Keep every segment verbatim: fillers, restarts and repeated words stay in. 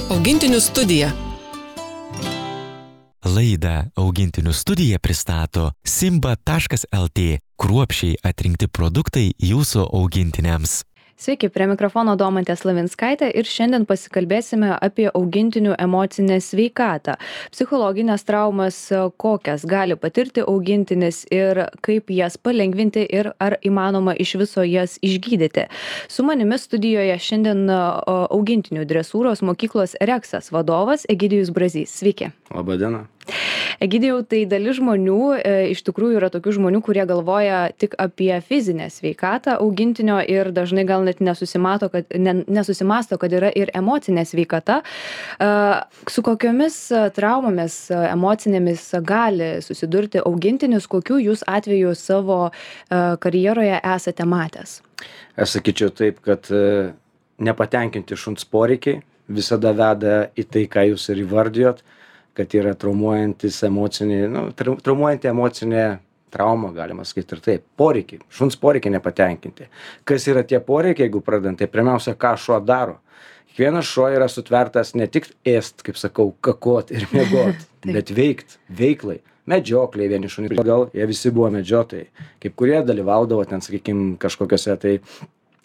Augintinių studija. Laidą Augintinių studija pristato simba taškas lt. Kruopščiai atrinkti produktai jūsų augintiniams. Sveiki, prie mikrofono Domantė Slavinskaitė ir šiandien pasikalbėsime apie augintinių emocinę sveikatą, psichologinės traumas, kokias gali patirti augintinis ir kaip jas palengvinti ir ar įmanoma iš viso jas išgydyti. Su manimi studijoje šiandien augintinių dresūros mokyklos Reksas vadovas Egidijus Brazys. Sveiki. Labą dieną. Egidijau, tai dalis žmonių, e, iš tikrųjų yra tokių žmonių, kurie galvoja tik apie fizinę sveikatą augintinio ir dažnai gal net nesusimato, kad, ne, nesusimasto, kad yra ir emocinė sveikata. E, su kokiomis traumomis emocinėmis gali susidurti augintinis, kokių jūs atvejų savo e, karjeroje esate matęs? Aš sakyčiau taip, kad e, nepatenkinti šuns poreikiai visada veda į tai, ką jūs ir įvardijot, kad yra traumuojantis emocinė, nu, traumuojanti emocinė trauma, galima sakyti ir taip. Poreikiai, šuns poreikiai nepatenkinti. Kas yra tie poreikiai, jeigu pradant, tai pirmiausia, ką šuo daro. Kiekvienas šuo yra sutvertas ne tik ėst, kaip sakau, kakot ir miegot, bet veikt, veiklai. Medžiokliai vieni šunys, gal jie visi buvo medžiotojai. Kaip kurie dalyvaudavo ten, sakykime, kažkokiose tai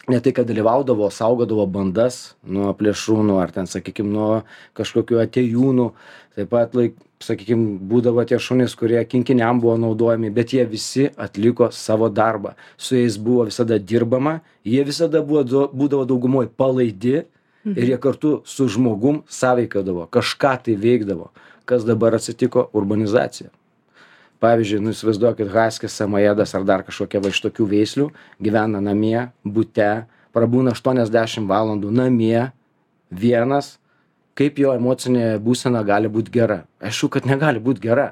ne tai, kad dalyvaudavo, saugodavo bandas nuo plėšrūnų ar ten, sakykime, nuo kažkokių atėjūnų. Taip pat, laik, sakykime, būdavo tie šunys, kurie kinkiniam buvo naudojami, bet jie visi atliko savo darbą. Su jais buvo visada dirbama, jie visada buvo, būdavo daugumoj palaidi ir jie kartu su žmogum sąveikaudavo, kažką tai veikdavo. Kas dabar atsitiko? Urbanizacija. Pavyzdžiui, nu įsivaizduokit, haskis, samojedas ar dar kažkokia va iš tokių veislių gyvena namie, bute, prabūna aštuoniasdešimt valandų namie, vienas, kaip jo emocinė būsena gali būti gera. Aišku, kad negali būti gera.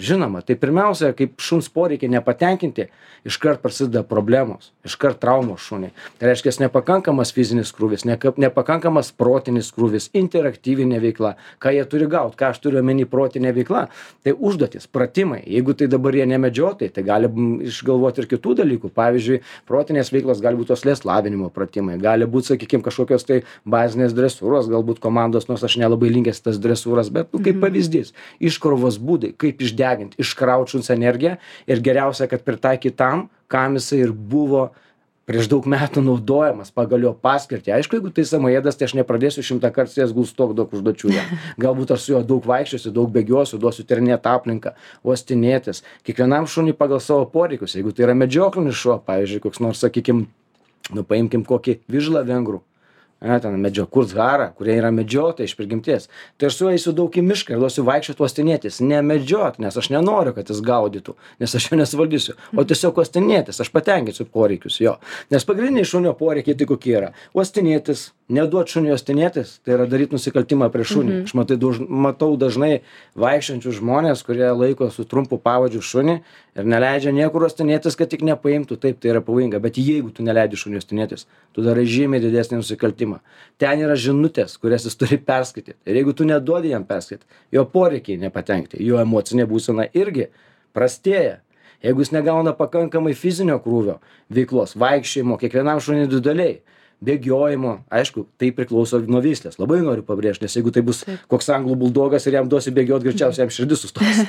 Žinoma, tai pirmiausia, kaip šuns poreikiai nepatenkinti, iškart prasideda problemos, iškart traumos šuniai. Tai reiškia, nepakankamas fizinis krūvis, nepakankamas protinis krūvis, interaktyvinė veikla, ką jie turi gauti, ką aš turiu omeny protinė veikla. Tai užduotis, pratimai. Jeigu tai dabar jie nemedžiotai, tai gali išgalvoti ir kitų dalykų. Pavyzdžiui, protinės veiklos gali būti oslės lavinimo pratimai, gali būti, sakykime, kažkokios tai bazinės dresūros, galbūt komandos, nors aš nelabai linkęs tas dresūras, bet nu, kaip pavyzdys, iškrovos būdai, kaip išdegti, iškraut šuns energiją ir geriausia, kad pritaikyt tam, kam jisai ir buvo prieš daug metų naudojamas pagal jo paskirtį. Aišku, jeigu tai samojedas, tai aš nepradėsiu šimtą kartų jas gulstok daug užduočių. Galbūt aš su juo daug vaikščiosiu, daug bėgiosiu, duosiu tyrinėti aplinką, uostinėtis. Kiekvienam šuniui pagal savo poreikius. Jeigu tai yra medžioklinis šuo, pavyzdžiui, koks nors, sakykim, nu paimkim kokį vižlą vengrų. Ne, ten medžio kurzharą, kurie yra medžiotojai iš prigimties. Tai aš su juo eisiu daug į mišką ir duosiu vaikščioti uostinėtis. Ne medžiot, nes aš nenoriu, kad jis gaudytų, nes aš jo nesuvaldysiu. O tiesiog uostinėtis, aš patenkinsiu poreikius jo. Nes pagrindiniai šunio poreikiai tai kokie yra. Uostinėtis, neduot šuniui uostinėtis, tai yra daryti nusikaltimą prie šunį. Mm-hmm. Aš matai, daž, matau dažnai vaikščiančius žmonės, kurie laiko su trumpu pavadžiu šunį ir neleidžia niekur uostinėtis, kad tik nepaimtų. Taip, tai yra pavojinga. Bet jeigu tu neleidži šuniui uostinėtis, tu darai žymiai didesnį nusikaltimą. Ten yra žinutės, kurias jis turi perskaityti. Ir jeigu tu neduodi jam perskaityti, jo poreikiai nepatenkti, jo emocinė būsena irgi prastėja. Jeigu jis negauna pakankamai fizinio krūvio veiklos, vaikščiojimo, kiekvienam šuniui individualiai, bėgiojimo, aišku, tai priklauso nuo veislės. Labai noriu pabrėžti, nes jeigu tai bus Taip. Koks anglų buldogas ir jam duosi bėgioti, greičiausiai jam širdis sustos.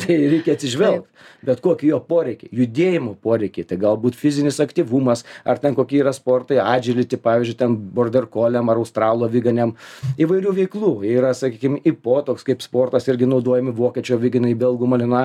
Tai reikia atsižvelgti. Bet kokie jo poreikiai, judėjimo poreikiai, tai galbūt fizinis aktyvumas, ar ten kokie yra sportai, agility, pavyzdžiui, ten border colliam ar australo viganiam, įvairių veiklų. Yra, sakykime, ipo, toks kaip sportas, irgi naudojami vokiečio viganai, belgų malina.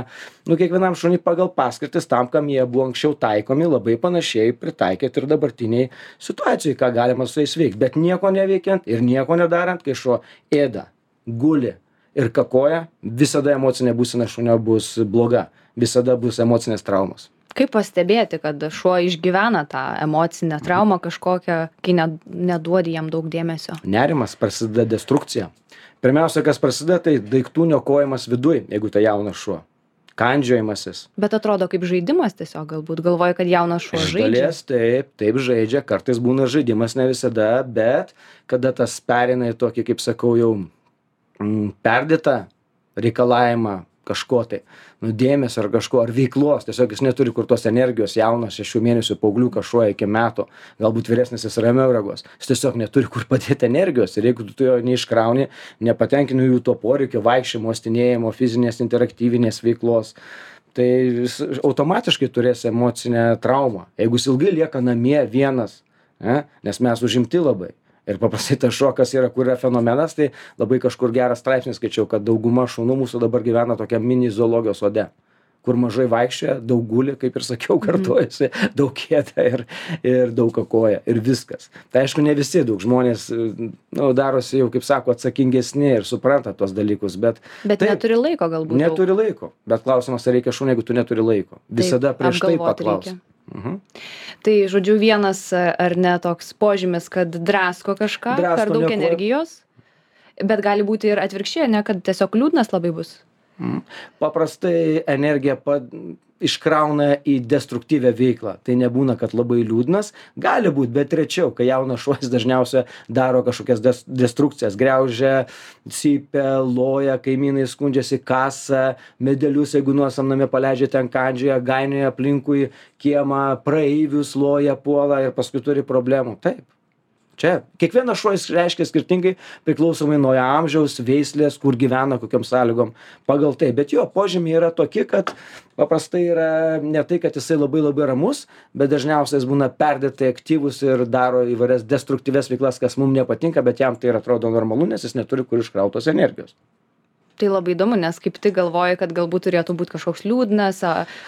Nu, kiekvienam šuniui pagal paskirtis tam, kam jie buvo anksčiau taikomi, labai panašiai pritaikyti ir dabartiniai situacijai, ką galima su jais veikti, bet nieko neveikiant ir nieko nedarant, kai šuo ėda, guli ir kakoja, visada emocinė būsena šunio bus bloga, visada bus emocinės traumos. Kaip pastebėti, kad šuo išgyvena tą emocinę traumą kažkokią, kai neduodi jam daug dėmesio? Nerimas, prasideda destrukcija. Pirmiausia, kas prasideda, tai daiktų niokojimas viduj, jeigu tai jaunas šuo. Kandžiojimasis. Bet atrodo kaip žaidimas tiesiog, galbūt galvoja, kad jaunas šuo žaidžia. Dalies, taip, taip žaidžia, kartais būna žaidimas, ne visada, bet kada tas pereina į tokį, kaip sakau, jau mm, perdėtą reikalavimą, kažko tai, nu, dėmesio ar kažko, ar veiklos, tiesiog jis neturi kur tos energijos, jaunas šešių mėnesių paaugliukas šuo iki metų, galbūt vyresnis jis ramiau reaguos, jis tiesiog neturi kur padėti energijos ir jeigu tu jo neiškrauni, nepatenkini jų to poreikio, vaikščiojimo, stinėjimo, fizinės, interaktyvinės veiklos, tai jis automatiškai turės emocinę traumą, jeigu jis ilgai lieka namie vienas, ne, nes mes užimti labai. Ir paprastai tas šokas yra, kur yra fenomenas, tai labai kažkur geras straipsnis skaičiau, kad dauguma šunų mūsų dabar gyvena tokia mini zoologijos sode, kur mažai vaikščioja, daug guli, kaip ir sakiau, kartuojasi, daug ėda ir, ir daug kakoja ir viskas. Tai aišku, ne visi, daug žmonės nu, darosi jau, kaip sako, atsakingesni ir supranta tos dalykus, bet... Bet taip, neturi laiko galbūt. Neturi daug. laiko, bet klausimas, ar reikia šunį, jeigu tu neturi laiko. Visada taip, prieš tai paklaus. Reikia. Mhm. Tai, žodžiu, vienas ar ne toks požymis, kad drasko kažką, drasko per daug neko... energijos, bet gali būti ir atvirkščiai, ne, kad tiesiog liūdnas labai bus. Mhm. Paprastai energija pa... iškrauna į destruktyvę veiklą. Tai nebūna, kad labai liūdnas. Gali būti, bet rečiau, kai jaunas šuo dažniausiai daro kažkokias des destrukcijas, griaužia, cypia, loja, kaimynai skundžiasi, kasa, medelius, jeigu nuosam name paleidžia, ten kandžioja, gainioja aplinkui kiemą, praeivius loja, puola ir paskui turi problemų. Taip. Čia kiekvienas šuo reiškia skirtingai, priklausomai nuo amžiaus, veislės, kur gyvena, kokiam sąlygom, pagal tai. Bet jo požymiai yra tokie, kad paprastai yra ne tai, kad jisai labai labai ramus, bet dažniausiai jis būna perdėtai aktyvus ir daro įvairias destruktyves veiklas, kas mums nepatinka, bet jam tai atrodo normalu, nes jis neturi kur iškrautos energijos. Tai labai įdomu, nes kaip tik galvoju, kad galbūt turėtų būti kažkoks liūdnas,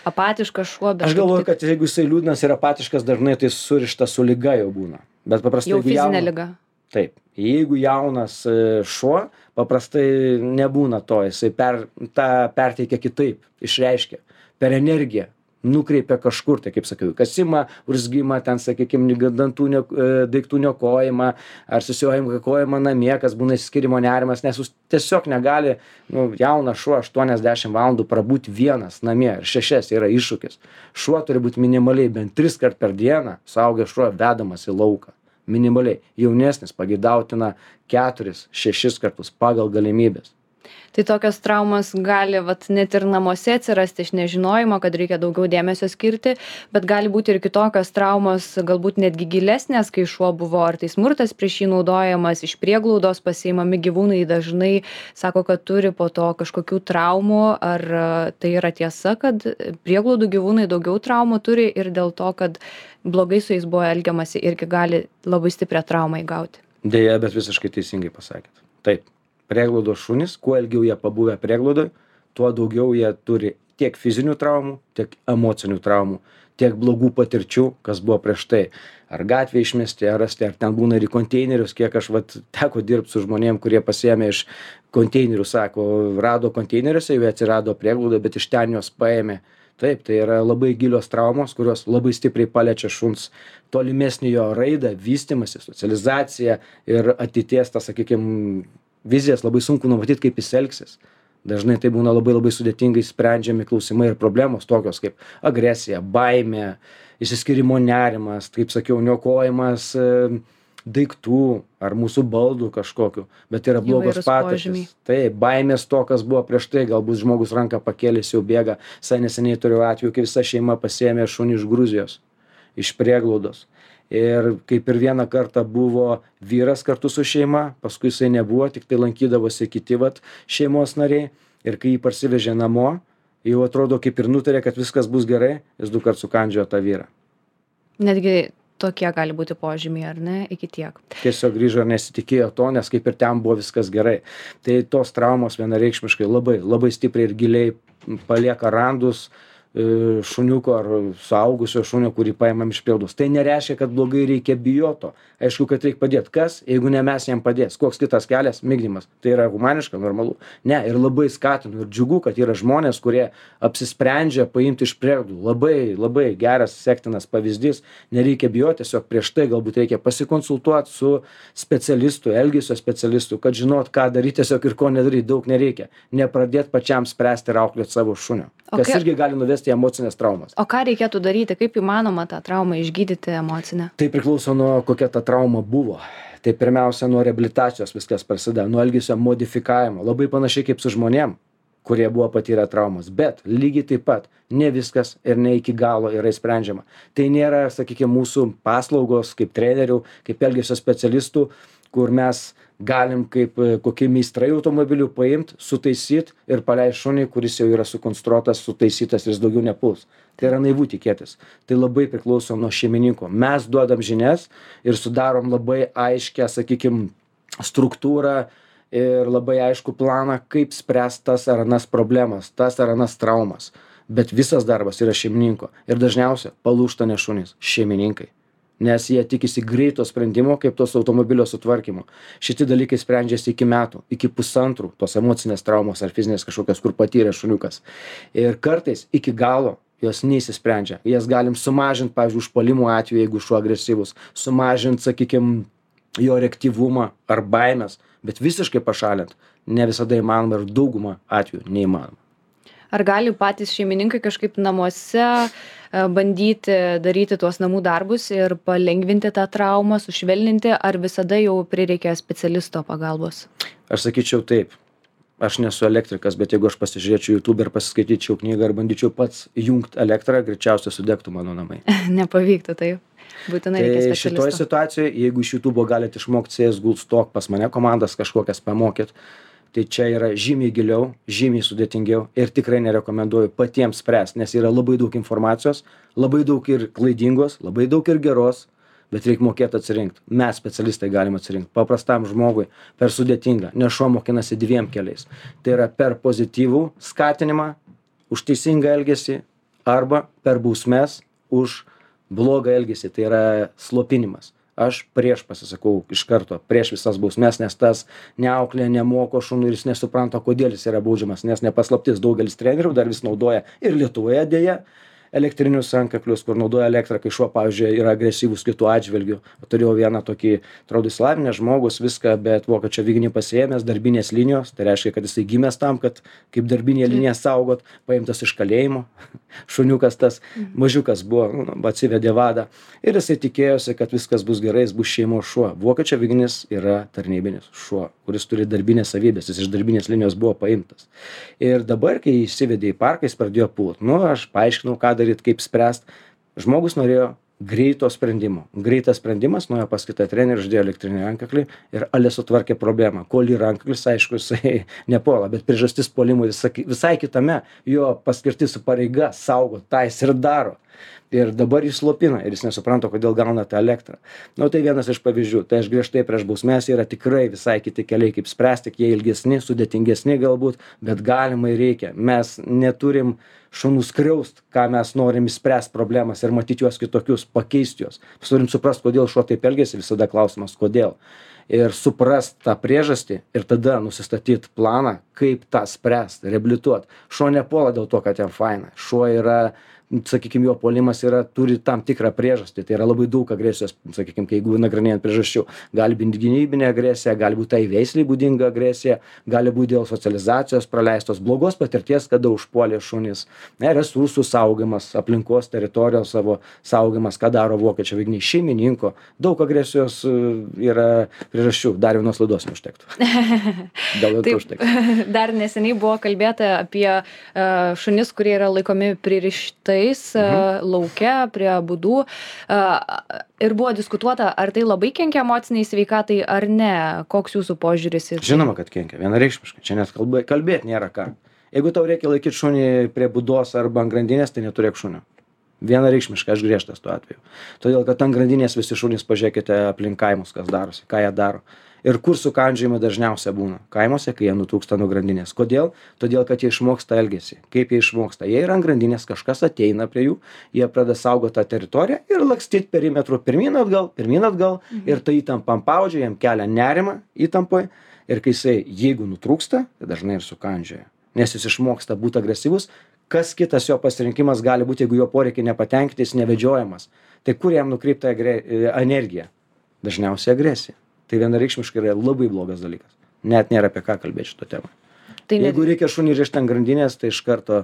apatiškas šuo. Aš galvoju, tik... kad jeigu jisai liūdnas ir apatiškas, dažnai tai surišta su liga jau būna. Bet paprastai jau fizinė jauna... liga. Taip. Jeigu jaunas šuo, paprastai nebūna to, jisai per, tą perteikia kitaip, išreiškia, per energiją. Nukreipia kažkur, tai kaip sakiau, kasimą, urzgimą, ten, sakykime, dantų ne, daiktų niokojimą, ar susiojimą kakojimą namie, kas būna išsiskyrimo nerimas, nes jūs tiesiog negali, nu, jaunas šuo aštuoniasdešimt valandų prabūti vienas namie ir šešias yra iššūkis. Šuo turi būti minimaliai bent tris kart per dieną, suaugęs šuo vedamas į lauką. Minimaliai. Jaunesnis pageidautina keturis, šešis kartus pagal galimybės. Tai tokios traumos gali vat, net ir namuose atsirasti iš nežinojimo, kad reikia daugiau dėmesio skirti, bet gali būti ir kitokios traumos, galbūt netgi gilesnės, kai šuo buvo ar tai smurtas prieš jį naudojamas, iš prieglaudos pasiimami gyvūnai dažnai sako, kad turi po to kažkokių traumų, ar tai yra tiesa, kad prieglaudų gyvūnai daugiau traumų turi ir dėl to, kad blogai su jais buvo elgiamasi irgi gali labai stiprią traumą įgauti. Deja, bet visiškai teisingai pasakėt. Taip. Prieglaudos šunys, kuo ilgiau jie pabuvę prieglaudoj, tuo daugiau jie turi tiek fizinių traumų, tiek emocinių traumų, tiek blogų patirčių, kas buvo prieš tai. Ar gatvėje išmesti, ar rasti, ar ten būna ir į konteinerius, kiek aš vat, teko dirbti su žmonėm, kurie pasiėmė iš konteinerių, sako, rado konteineriuose, jau atsirado prieglaudoje, bet iš ten juos paėmė. Taip, tai yra labai gilios traumos, kurios labai stipriai paliečia šuns tolimesnį jo raidą, vystymąsi, socializaciją ir ateities, tą, sakykime, vizijas labai sunku numatyti, kaip jis elgsis. Dažnai tai būna labai labai sudėtingai sprendžiami klausimai ir problemos tokios kaip agresija, baimė, išsiskyrimo nerimas, kaip sakiau, niokojimas daiktų ar mūsų baldų kažkokiu, bet yra blogos patirtys. Tai baimės to, kas buvo prieš tai, galbūt žmogus ranką pakėlęs jau bėga. Visai neseniai turėjau atveju, kai visa šeima pasiėmė šunį iš Gruzijos, iš prieglaudos. Ir kaip ir vieną kartą buvo vyras kartu su šeima, paskui jisai nebuvo, tik tai lankydavosi kiti vat, šeimos nariai. Ir kai jį parsivežė namo, jau atrodo kaip ir nutarė, kad viskas bus gerai, jis du kart sukandžiojo tą vyrą. Netgi tokie gali būti požymiai, ar ne, iki tiek. Tiesiog grįžo ir nesitikėjo to, nes kaip ir ten buvo viskas gerai. Tai tos traumos vienareikšmiškai labai, labai stipriai ir giliai palieka randus šuniuko ar suaugusio šunio, kurį paimam iš prieglaudos. Tai nereiškia, kad blogai reikia bijoto. Aišku, kad reikia padėti. Kas, jeigu ne mes jam padės? Koks kitas kelias? Migdymas. Tai yra humaniška, normalu. Ne, ir labai skatinu ir džiugu, kad yra žmonės, kurie apsisprendžia paimti iš prieglaudos. Labai, labai geras, sektinas pavyzdys. Nereikia bijoti, tiesiog prieš tai galbūt reikia pasikonsultuoti su specialistu, elgesio specialistu, kad žinot, ką daryti tiesiog ir ko nedaryti. Daug nereikia. Nepradėti pačiam spręsti ir auklėti savo šunio. Kas okay. irgi gali nuvesti į emocinės traumas. O ką reikėtų daryti? Kaip įmanoma tą traumą išgydyti emocinę? Tai priklauso nuo kokia ta trauma buvo. Tai pirmiausia nuo reabilitacijos viskas prasideda, nuo elgesio modifikavimo. Labai panašiai kaip su žmonėm, kurie buvo patyrę traumas. Bet lygiai taip pat ne viskas ir ne iki galo yra sprendžiama. Tai nėra, sakykime, mūsų paslaugos kaip trenerių, kaip elgesio specialistų, kur mes galim kaip kokie meistrai automobilių paimt, sutaisyt ir paleist šunį, kuris jau yra sukonstruotas, sutaisytas ir jis daugiau nepuls. Tai yra naivu tikėtis. Tai labai priklauso nuo šeimininko. Mes duodam žinias ir sudarom labai aiškę, sakykime, struktūrą ir labai aišku planą, kaip spręst tas ar anas problemas, tas ar anas traumas. Bet visas darbas yra šeimininko. Ir dažniausiai palūžta ne šunys, šeimininkai. Nes jie tikisi greito sprendimo, kaip tos automobilio sutvarkymo. Šitie dalykai sprendžiasi iki metų, iki pusantrų, tos emocinės traumos ar fizinės kažkokios, kur patyrė šuniukas. Ir kartais iki galo jos neįsisprendžia. Jas galim sumažinti, pavyzdžiui, užpuolimų atveju, jeigu šuo agresyvus, sumažinti, sakykime, jo reaktyvumą ar baimės, bet visiškai pašalinti ne visada įmanoma ir daugumą atvejų neįmanoma. Ar gali patys šeimininkai kažkaip namuose bandyti daryti tuos namų darbus ir palengvinti tą traumą, sušvelninti, ar visada jau prireikia specialisto pagalbos? Aš sakyčiau taip. Aš nesu elektrikas, bet jeigu aš pasižiūrėčiau YouTube ir pasiskaityčiau knygą ir bandyčiau pats jungti elektrą, greičiausiai sudegtų mano namai. Nepavyktų, taip. Būtinai reikia Tai specialisto. šitoje situacijoje, jeigu iš YouTube galite išmokti C S G O Stok pas mane komandas kažkokias pamokyt, tai čia yra žymiai giliau, žymiai sudėtingiau ir tikrai nerekomenduoju patiems spręsti, nes yra labai daug informacijos, labai daug ir klaidingos, labai daug ir geros, bet reikia mokėti atsirinkti. Mes specialistai galim atsirinkti. Paprastam žmogui per sudėtinga, nes šuo mokinasi dviem keliais. Tai yra per pozityvų skatinimą, už teisingą elgesį arba per bausmes už blogą elgesį, tai yra slopinimas. Aš prieš pasisakau iš karto, prieš visas bausmes, nes tas neauklė, nemoko šunų ir jis nesupranta, kodėl jis yra baudžiamas, nes nepaslaptis daugelis trenerių dar vis naudoja ir Lietuvoje dėja elektrinius antkaklius, kur naudoja elektrą, kai šuo, pavyzdžiui, yra agresyvus kitų atžvilgių. Turėjau vieną tokį, atrodo, išsilavinęs žmogus, viską, bet vokiečio aviganį pasiėmęs, darbinės linijos, tai reiškia, kad jisai gimęs tam, kad kaip darbinė linija saugot, paimtas iš kalėjimo, šuniukas tas, mažiukas buvo, nu, atsivedė vadą ir jisai tikėjosi, kad viskas bus gerai, jis bus šeimos šuo. Vokiečio aviganis yra tarnybinis šuo, kuris turi darbinės savybės, jis iš darbinės linijos buvo paimtas. Ir dabar, kai įsivedė į parką, jis pradėjo pult. Nu, aš paaiškinau, ką daryti, kaip spręsti. Žmogus norėjo greito sprendimo. Greitas sprendimas, nuėjo pas kitą trenerį, uždėjo elektrinį rankaklį ir ale sutvarkė problemą. Kol į rankaklis, aišku, jisai nepuola, bet priežastis puolimui visai kitame, jo paskirtis pareiga saugo, tą jis ir daro. Ir dabar jis slopina ir jis nesupranta, kodėl gauna tą elektrą. Nu, tai vienas iš pavyzdžių. Tai aš griežtai prieš bausmes, yra tikrai visai kiti keliai, kaip spręsti, jie ilgesni, sudėtingesni galbūt, bet galimai reikia. Mes neturim šunų skriaust, ką mes norim išspręsti problemas ir matyti juos kitokius, pakeisti juos. Mes turim suprast, kodėl šuo taip elgiasi, visada klausimas, kodėl. Ir suprast tą priežastį ir tada nusistatyti planą, kaip tą spręsti, reabilituoti. Šuo nepuola dėl to, kad jam faina. Šuo yra, sakykime, jo puolimas yra, turi tam tikrą priežastį. Tai yra labai daug agresijos, sakykime, jeigu nagrinėjant priežasčių. Gali būti gynybinė agresija, gali būti tai veisliai būdinga agresija, gali būti dėl socializacijos praleistos blogos patirties, kada užpuolė šunys. Ne, resursų saugimas, aplinkos teritorijos savo saugimas, ką daro vokiečio aviganiai, šeimininko. Daug agresijos yra priežasčių. Dar vienos laidos neužtektų. Gal jau užtektų. Dar neseniai buvo kalbėta apie uh, šunis, kurie yra laikomi pririštais mhm. lauke prie būdų. Uh, ir buvo diskutuota, ar tai labai kenkia emociniai sveikatai ar ne. Koks jūsų požiūris? Ir... Žinoma, kad kenkia. Vienareikšmiškai. Čia net kalbė, kalbėti nėra ką. Jeigu tau reikia laikyti šunį prie būdos arba ant grandinės, tai neturėk šunio. Vienareikšmiškai, aš griežtas tuo atveju. Todėl, kad ant grandinės visi šunys, pažiūrėkite aplink kaimus, kas darosi, ką jie daro. Ir kur sukandžiojimai dažniausiai būna? Kaimuose, kai jie nutrūksta nuo grandinės. Kodėl? Todėl, kad jie išmoksta elgesį. Kaip jie išmoksta? Jie yra ant grandinės, kažkas ateina prie jų, jie pradeda saugoti tą teritoriją ir lakstyti perimetru pirmyn atgal, pirmyn atgal mhm. ir tai įtampam paudžia, jam kelia nerimą įtampoje. Ir kai jisai, jeigu nutrūksta, tai dažnai ir sukandžioja. Nes jis išmoksta būti agresyvus. Kas kitas jo pasirinkimas gali būti, jeigu jo poreikiai nepatenkinti, jis nevedžiojamas. Tai kur jam nukreipta energija? Dažniausiai agresija. Tai vienareikšmiškai yra labai blogas dalykas. Net nėra apie ką kalbėti šito temą. Tai jeigu net... reikia šunį rišti ant grandinės, tai iš karto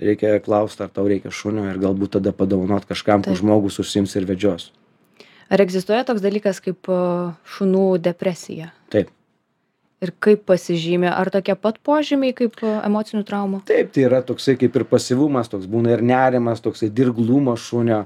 reikia klausti, ar tau reikia šunio ir galbūt tada padovanot kažkam, kur žmogus užsiims ir vedžios. Ar egzistuoja toks dalykas kaip šunų depresija? Taip. Ir kaip pasižymi? Ar tokie pat požymiai kaip emocinių traumų? Taip, tai yra toksai kaip ir pasyvumas, toks būna ir nerimas, toksai dirglumas šunio.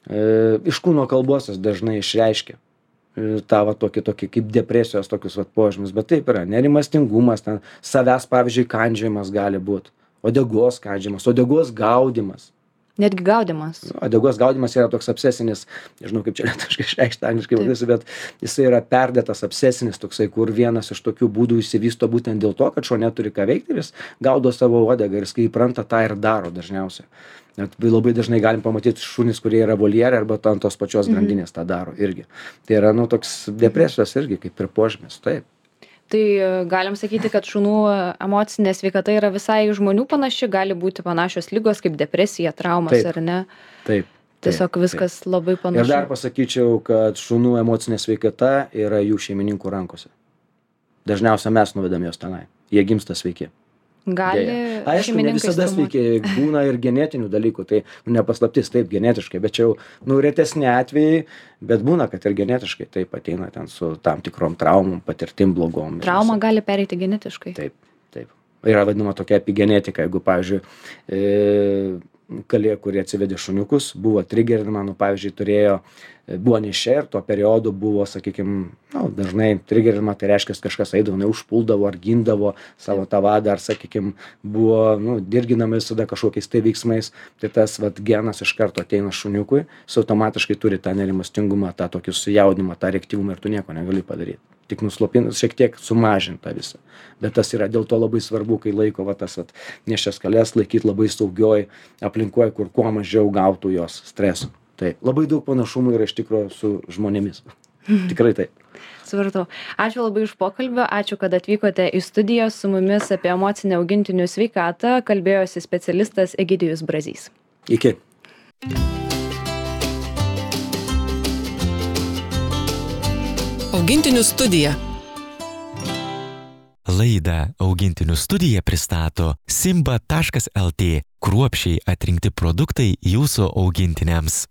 E, iš kūno kalbos jis dažnai išreiškia e, tą va tokį, tokį kaip depresijos tokius va požymius, bet taip yra, nerimastingumas, ten savęs, pavyzdžiui, kandžiojimas gali būti, uodegos kandžiojimas, uodegos gaudimas. Netgi gaudimas. Uodegos gaudimas yra toks obsesinis, nežinau kaip čia lietuviškai išreikšti angliškai vadinasi, bet jisai yra perdėtas obsesinis toksai, kur vienas iš tokių būdų išsivysto būtent dėl to, kad šuo neturi ką veikti ir jis gaudo savo uodegą ir jis kai įpranta tą ir daro dažniausiai. Net labai dažnai galim pamatyti šunys, kurie yra voljere arba ant tos pačios grandinės tą daro irgi. Tai yra, nu, toks depresijos irgi kaip ir požymis, taip. Tai galim sakyti, kad šunų emocinė sveikata yra visai žmonių panaši, gali būti panašios ligos kaip depresija, traumas Taip. ar ne? Taip. Tiesiog taip, viskas taip. labai panašu. Ir dar pasakyčiau, kad šunų emocinė sveikata yra jų šeimininkų rankose. Dažniausiai mes nuvedam juos tenai. Jie gimsta sveiki. Gali Aišku, ne šeimininkai visada traumuoti. sveiki, būna ir genetinių dalykų, tai nu, nepaslaptis taip genetiškai, bet čia jau nu, retesni atvejai, bet būna, kad ir genetiškai taip ateina ten su tam tikrom traumom, patirtim blogom. Trauma gali pereiti genetiškai. Taip, taip. Yra vadinama tokia epigenetika, jeigu, pavyzdžiui, e, kalė, kurie atsivedė šuniukus, buvo trigerinama, nu, pavyzdžiui, turėjo, buvo nešia ir tuo periodu buvo, sakykime, nu, dažnai trigerinama, tai reiškia, kažkas eidavo, neužpuldavo ar gindavo savo tą vadą, ar, sakykime, buvo, nu, dirginama visada kažkokiais tai veiksmais, tai tas, vat, genas iš karto ateina šuniukui, jis automatiškai turi tą nerimastingumą, tą tokį sujaudimą, tą reaktyvumą ir tu nieko negali padaryti. Tik nuslopinus, šiek tiek sumažinta visą. Bet tas yra dėl to labai svarbu, kai laiko va, tas vat, neščias kalės laikyti labai saugioj aplinkoje, kur kuo mažiau gautų jos streso. Tai labai daug panašumų yra iš tikrųjų su žmonėmis. Tikrai taip. Supratau. Ačiū labai už pokalbį, ačiū, kad atvykote į studiją su mumis apie emocinę augintinių sveikatą. Kalbėjosi specialistas Egidijus Brazys. Iki. Augintinių studija. Laidą Augintinių studija pristato simba taškas lt. Kruopščiai atrinkti produktai jūsų augintiniams.